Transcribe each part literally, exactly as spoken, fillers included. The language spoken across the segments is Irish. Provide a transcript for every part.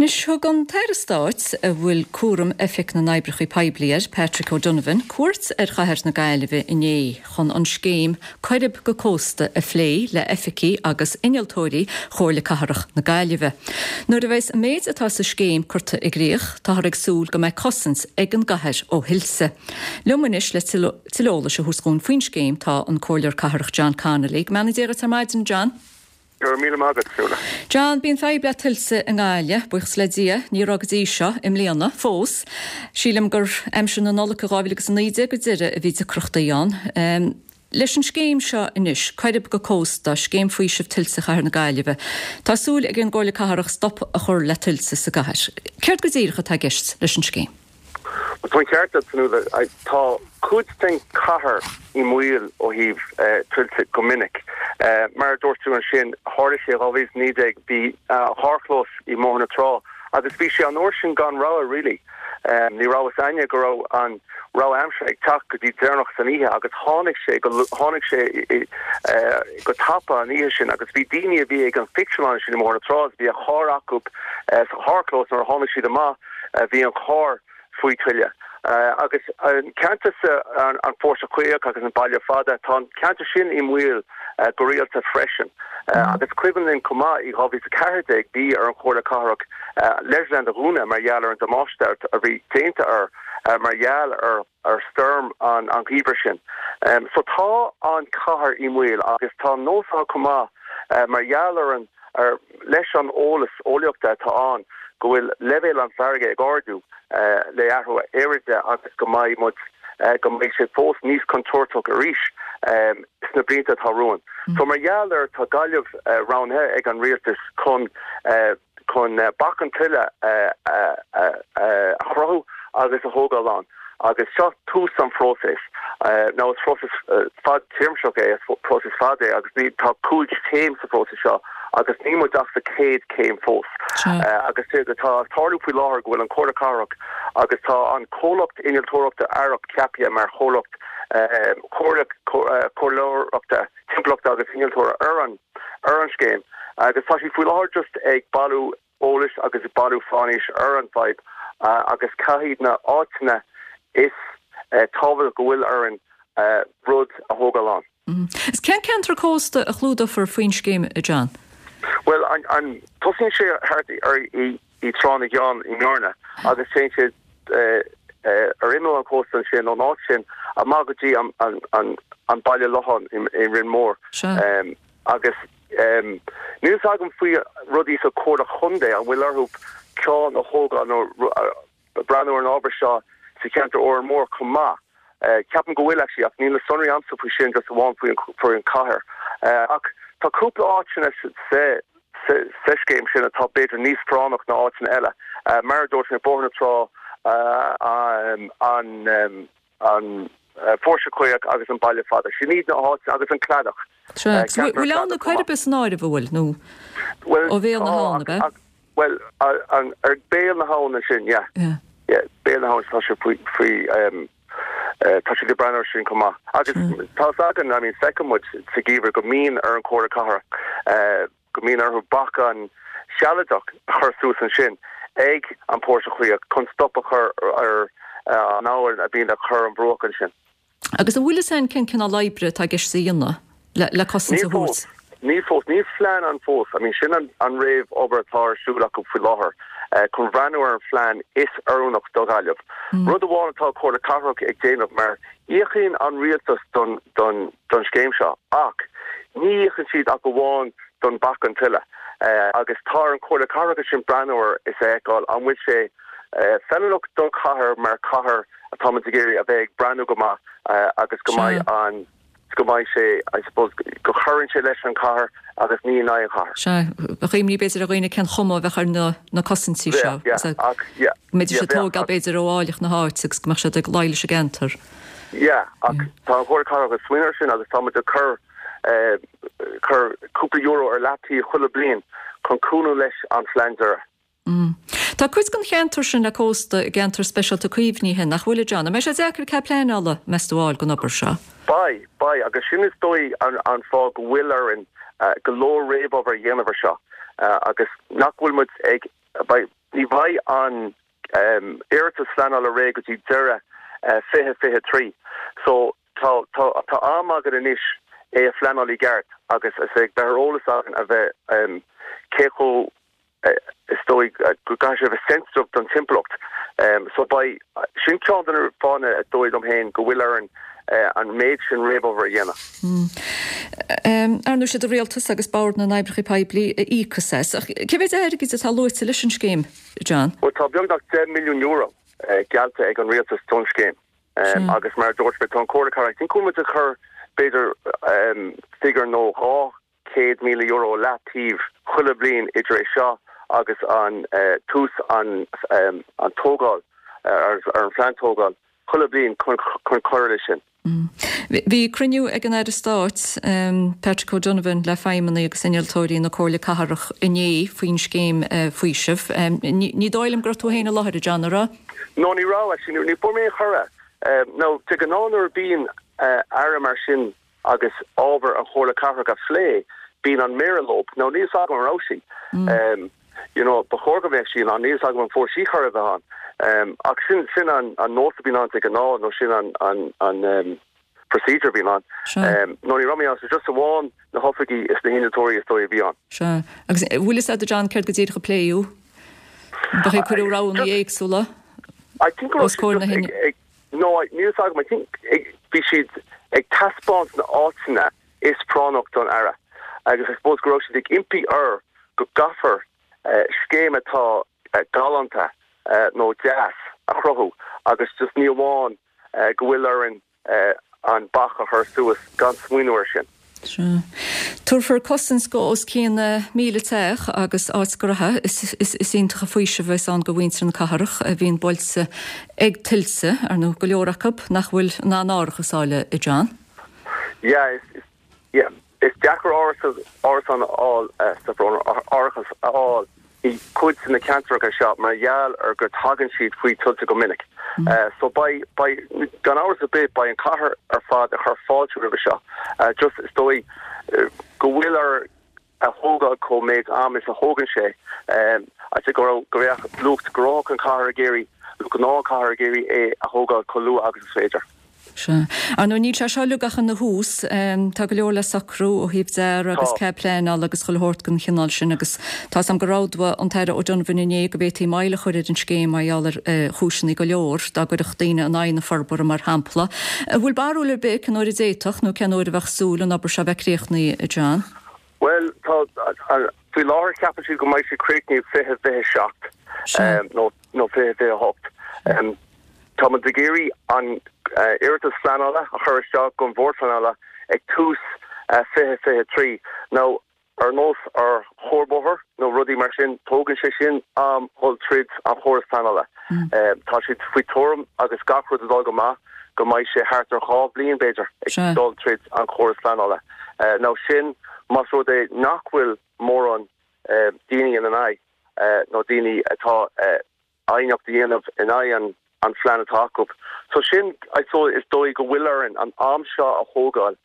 Anois thug an tAire Stáit a bhfuil cúram Oifig na nOibreacha Poiblí air, Patrick O'Donovan, cuairt ar chathair na Gaillimhe inné chun an scéim Coirib go Cósta a phlé le hoifigigh agus innealtóirí Chomhairle Cathrach na Gaillimhe. Nuair a bheas an méid atá sa scéim curtha i gcrích, táthar ag súil go mbeidh cosaint ag an gcathair ó thuilte. Liom anois le tuilleadh eolais a thabhairt dúinn faoin scéim tá an Comhairleoir Cathrach John Connolly. Go mbeannaí Dia duit ar maidin John. Go raibh míle maith agat Fionnuala. John bíonn fadhb le tuilte i nGaillimh, buíochas le Dia, ní raibh go dtí seo i mbliana fós. Sílim gur aimsir na Nollag dhá mhíle agus a naoi déag go deireadh a bhí deacrachtaí ann. Um, leis an scéim seo anois, Coirib go Cósta, scéim faoisimh tuilte chathair na Gaillimhe. Tá súil ag an gComhairle Cathrach stop a chur le tuilte sa gcathair. Céard go díreach atá i gceist leis an scéim? Tá an ceart agat tá cuid den chathair i mbaol ó thaobh tuilte go minic. Mar dúirt tú ansin tharla sé dhá mhíle naoi déag bhí carrchlós i mBóthar na Trá agus bhí sé an uair sin gan rogha really. Um, ní raibh a fhios againne go raibh an rabhadh aimsire ag teacht go dtí deireanach san oíche agus tháinig sé go tháinig sé uh, go tapa an oíche sin agus bhí daoine a bhí ag an phictiúrlann sin i mBóthar na Trá bhí a charr acu uh, sa charrchlós nuair a tháinig siad amach uh, bhí an carr faoi tuile. Uh, agus an ceantar an, an Póirse Caoch agus an Baile Fada tá an ceantar sin i mbaol uh, go rialta freisin. Uh, mm. agus cuimhin linn chomh maith i dhá mhíle ceathair déag bhí ar an Chomhairle Cathrach uh, Leisureland a dhúnadh mar gheall ar an damáiste a bhí déanta ar uh, mar gheall ar ar stoirm an an geimhreadh sin. Um, so tá an chathair i mbaol agus tá nós chomh maith uh, mar gheall ar an ar leis an eolas eolaíochta atá ann go bhfuil leibhéal an farraige ag ardú uh, le athrú aeráide agus go mbeidh muid uh, go mbeidh sé fós níos contúirteach arís um, sna blianta atá romhainn. Mm. So mar gheall ar tá Gaillimh uh, roghnaithe ag an rialtas chun uh, chun uh, bac an tuile uh, uh, uh, uh, a chruthú agus a thógáil ann. agus seo tús an phróisis. Uh, ná is próiseas uh, fadtéarmach é próiseas fada é agus ní tá cúig chéim sa phróiseas seo agus níl muid ach sa chéad chéim fós. Uh, agus tá tarlú faoi láthair go bhfuil an Chomhairle Cathrach agus tá an comhlacht innealtóireachta Arup ceaptha mar chomhlacht comhairleoireachta timpeallachta agus innealtóra ar an ar an scéim. agus tá sí faoi láthair just ag bailiú eolais agus ag bailiú faisnéis ar an fhadhb uh, agus caithfidh na áiteanna is uh, tábhacht go bhfuil ar an uh, rud a thógáil ann. Mm. Is cén ceantar cósta a chlúdófar faoin scéim a John? Well an, an tosaíonn sé thart ar i, i Trá na gCeann i mBearna agus téann sé uh, uh, ar imeall an cósta sin ón áit sin amach go dtí an, an, an, an Baile Locháin in, in Rinn Mór. Um, agus um, níl agam faoi rudaí sa Chomhairle Chontae an bhfuil orthu ceann a thógáil nó breathnú ar an ábhar seo sa cheantar Óran Mór chomh maith. Uh, ceapaim go bhfuil actually ach níl na sonraí agamsa faoi sin just amháin faoi faoi an cathair. Uh, ach tá cúpla áiteanna sa sa scéim sin atá b'fhéidir níos práinní ná áiteanna eile. Uh, mar dúirt mé Bóthar na Trá uh, um, an um, an uh, Póirse Caoch agus an Baile Fada. Sin iad na háit agus an Cladach. Bhfuil ann na Coirib san áireamh bhfuil nó ó bhéal na habhann be? Well an ar béal na habhann sin yeah. Yeah. Yeah, béal na habhann tá sé faoi faoi um, uh, tá sé ag breathnú sin chomh maith. Agus tá againn I mean feicim sa gheimhreadh go mbíonn ar an Chomhairle Cathrach uh, go mbíonn orthu bacán sealadach a chur suas ansin ag an Póirse Caoch chun stop a chur ar uh, an abhainn a bhíonn ag cur an bruach ansin. Agus an bhfuil a fhios againn cén cineál oibre atá i gceist a dhéanamh le, le cosaint a thabhairt. Ní fós níl plean ann fós, I mean sin an, an réamhobair atá ar siúl acu faoi láthair. Uh, chun breathnú ar an phlean is oiriúnach do Ghaillimh. Mm. Rud amháin atá Comhairle Cathrach ag déanamh mar íocann an rialtas don, don, don scéim seo ach ní íocann siad ach amháin don bhac an tuile. Uh, agus tá an Chomhairle Cathrach sin breathnú is feiceáil an bhfuil sé uh, feiliúnach don chathair mar cathair atá ag iarraidh a bheith ag breathnú go maith uh, agus go mbeidh an go mbeidh sé I suppose go gcuireann sé leis an cathair agus ní in aghaidh an chathair. Se chuimní b'fhéidir a dhaoine cén chuma a bheadh ar na, na cosaintí seo. Mbeidh sé tógáil b'fhéidir ó áilleacht na háite agus go mbeadh sé ag luí leis an gceantar. Yeah, ach tá an Chomhairle Cathrach ag smaoineamh sin agus tá ag cur uh, cur cúpla euro ar leataobh chuile bliain chun cúnamh leis an phlean deiridh. Mm. Tá cuid den cheantar sin le cósta i gceantar speisialta caomhnaithe nach bhfuil John, mbeidh sé deacair cead pleanála meas tú a fháil don obair seo. Beidh, beidh, agus sin is dóigh an, an fáth go bhfuil orainn uh, go leor réamhobair a dhéanamh seo uh, agus nach bhfuil muid ag beidh ní bheidh an um, iarratas pleanála réidh go dtí deireadh uh, fiche fiche trí. So tá tá tá am againn anois é a phleanáil i gceart agus is ag bheith eolas againn a bheith um, cé chomh uh, is dóigh uh, go gcaithfidh sé bheith sensitive don timpeallacht. Um, so beidh sin ceann de na fáthanna is dóigh liom féin go bhfuil orainn uh, an méid sin réamhobair a dhéanamh. Mm. Um, Ar ndóigh sé an rialtas agus Bord na nOibreacha Poiblí a íocfas as. Cé mhéad airgid atá luaite leis an scéim, John? Well tá beagnach deich milliún euro uh, geallta ag an rialtas don scéim. Um, agus mar dúirt mé tá an Comhairle Cathrach think muid a chur b'fhéidir um, figiúr nó dhá céad míle euro leataobh chuile bliain idir é seo agus an uh, tús an um, an tógáil uh, ar, ar an phlean tógáil chuile bliain chun chun cur leis sin. Mm. Bhí cruinniú ag an Aire Stáit um, Patrick O'Donovan le feidhmeannaigh agus innealtóirí na Comhairle Cathrach inné faoin scéim uh, faoisimh. Um, ní dóigh liom go raibh tú féin i láthair John an raibh? No ní raibh actually ní fuair mé cuireadh. Um, no de ghnáth nuair a bhíonn uh, aire mar sin agus ábhar an Chomhairle Cathrach á phlé bíonn an méara leo nó níl a fhios agam an raibh sí. Mm. Um, you know ba chóir go mbeadh sí an níl a fhios agam an bhfuair sí cuireadh bheith ann. Um, ach sin sin an an nós a bhíonn ann de ghnáth nó sin an an an um, procedure bhíonn ann. Um, no ní raibh mé ann just amháin na hoifigigh is na hinnealtóirí is dóigh a bhí ann. Se agus bhfuil a fhios agat John céard go díreach a pléadh? Ba é cuireadh roghanna éagsúla? I think Os comhair na hinne. No níl a fhios agam I think bhí siad ag taispeáint na áiteanna is práinneach don aire. Agus I suppose go raibh siad ag impí air go gcaithfear uh, scéim atá uh, galánta uh, nó deas a chruthú agus just ní amháin uh, go bhfuil orainn uh, an bac a chur suas gan smaoineamh air sin. Tabharfar cosaint go os cionn míle teach agus áit ghnó is, is, is iontach an faoiseamh é san do mhuintir na cathrach a bhíonn buailte ag tuilte ar nó go leor acu nach bhfuil ná árachas acu a John. Yeah, is, is, yeah, is deacair árachas a fháil árachas a fháil i cuid de na ceantracha seo mar gheall ar go dtagann siad faoi tuilte go minic. Mm. Uh, so beidh beidh gan amhras ar bith beidh an chathair ar fad ag cur fáilte roimhe seo. Uh, just is dóigh uh, go bhfuil air a thógáil chomh méid am is a thógann sé um, a go go bheadh lucht gnó an chathair ag iarraidh gnó cathair ag iarraidh é a thógáil chomh luath agus is féidir. Se. An nó níl sé seo ach ina thús tá go leor le socrú ó thaobh dearaidh agus cead pleanála agus chuile shórt den chineál sin agus tá am go raibh an tAire O'Donovan inné go bhféadfaí moill a chur ar an scéim mar gheall ar chúiseanna go leor dá gcuirfeadh daoine in aghaidh na forbartha mar shampla. Bhfuil barúil ar bith cén uair a d'fhéadfadh nó cén uair a bheadh súil an obair seo bheith críochnaithe John? Well tá faoi láthair ceapann siad go mbeidh sé críochnaithe fiche fiche seacht nó nó fiche fiche hocht. Um, Tá muid ag iarraidh an iarratas pleanála a chur isteach don bhord pleanála ag tús fiche fiche trí. Nó ar nós ar chuarbhóthar nó rudaí mar sin tógann sé sin am dul tríd an chóras pleanála. Mm. Tá siad faoi tuairim agus gach rud ag dul go maith go mbeidh sé thart ar dhá bhliain b'fhéidir ag dul tríd an chóras pleanála. Nó sin más rud é nach bhfuil mórán daoine ina aghaidh nó daoine atá aighneacht a dhéanamh in aghaidh an an phlean atá acu. So sin so is dóigh go bhfuil orainn an am seo a thógáil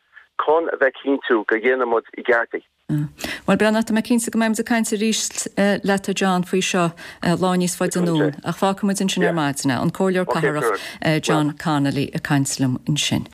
chun a bheith cinnte go ndéanaimid i gceart é. Mm. Well breathnaigh mé cinnte go mbeimid ag caint arís leat John faoi seo lá níos faide anonn ach fágfaimid ansin ar maidin an Comhairleoir Cathrach John Connolly ag caint liom ansin.